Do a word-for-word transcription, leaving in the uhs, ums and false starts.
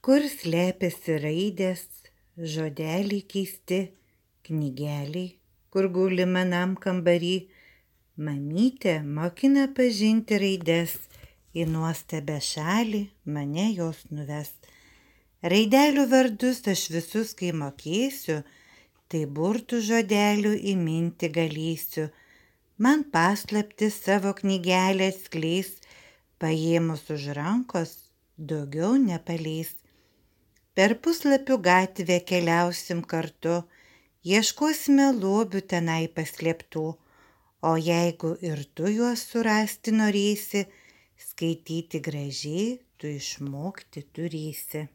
Kur slėpėsi raidės, žodeliai keisti, knygeliai, kur guli manam kambary. Mamytė mokina pažinti raides, į nuostabią šalį mane jos nuves. Raidelių vardus aš visus, kai mokėsiu, tai burtų žodelių įminti galėsiu. Man paslapti savo knygelę atskleis, paėmus už rankos daugiau nepaleis. Per puslapių gatvę keliausim kartu, ieškosime lobių tenai paslėptų, o jeigu ir tu juos surasti norėsi, skaityti gražiai tu išmokti turėsi.